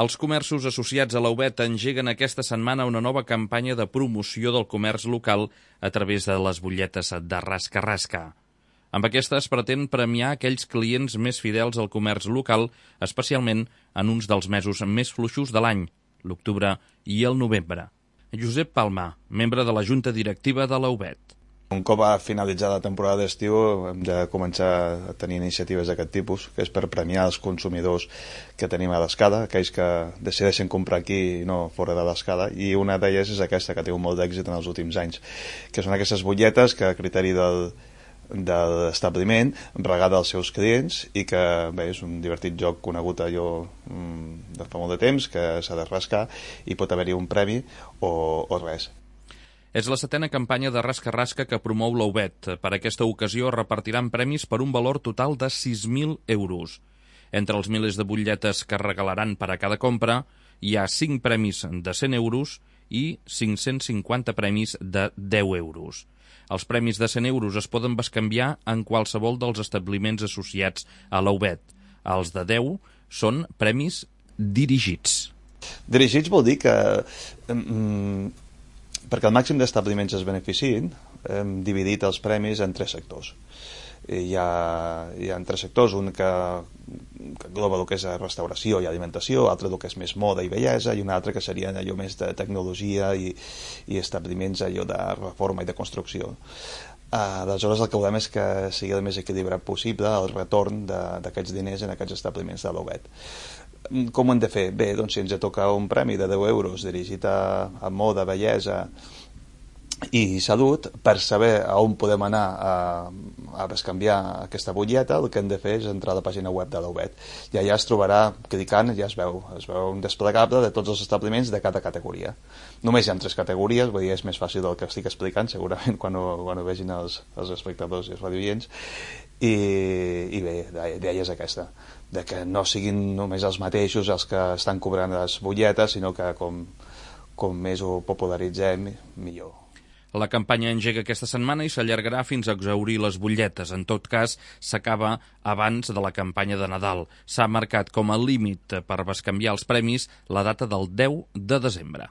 Els comerços associats a la UBET engeguen aquesta setmana una nova campanya de promoció del comerç local a través de les butlletes de rasca-rasca. Amb aquesta es pretén premiar aquells clients més fidels al comerç local, especialment en uns dels mesos més fluixos de l'any, l'octubre i el novembre. Josep Palma, membre de la Junta Directiva de la UBET. Un cop ha finalitzat la temporada d'estiu hem de començar a tenir iniciatives d'aquest tipus, que és per premiar els consumidors que tenim a l'Escada, aquells que decideixen comprar aquí i no fora de l'Escada, i una d'elles és aquesta, que té molt d'èxit en els últims anys, que són aquestes butlletes que a criteri de l'establiment regada als seus clients i que bé, és un divertit joc conegut allò de fa molt de temps, que s'ha de rascar i pot haver-hi un premi o res. És la 7a campanya de rasca-rasca que promou la UBET. Per aquesta ocasió es repartiran premis per un valor total de 6.000 euros. Entre els milers de butlletes que regalaran per a cada compra hi ha 5 premis de 100 euros i 550 premis de 10 euros. Els premis de 100 euros es poden bescanviar en qualsevol dels establiments associats a la UBET. Els de 10 són premis dirigits. Dirigits vol dir que perquè el màxim d'establiments es beneficiïn, hem dividit els premis en 3 sectors. Hi ha 3 sectors, un que engloba el que és restauració i alimentació, l'altre el que és més moda i bellesa, i un altre que seria allò més de tecnologia i establiments allò de reforma i de construcció. Aleshores el que volem és que sigui el més equilibrat possible el retorn d'aquests diners en aquests establiments de la UBET. Com ho hem de fer? Bé, doncs si ens toca un premi de 10 euros dirigit a moda, bellesa i salut, per saber a on podem anar a bescanviar aquesta butlleta, el que hem de fer és entrar a la pàgina web de la UBET. I allà es trobarà, clicant, ja es veu un desplegable de tots els establiments de cada categoria. Només hi ha 3 categories, vull dir, és més fàcil del que estic explicant, segurament quan ho vegin els espectadors i els radioients. I bé, l'idea és aquesta, de que no siguin només els mateixos els que estan cobrant les butlletes, sinó que com més ho popularitzem, millor. La campanya engega aquesta setmana i s'allargarà fins a exhaurir les butlletes. En tot cas, s'acaba abans de la campanya de Nadal. S'ha marcat com a límit per bescanviar els premis la data del 10 de desembre.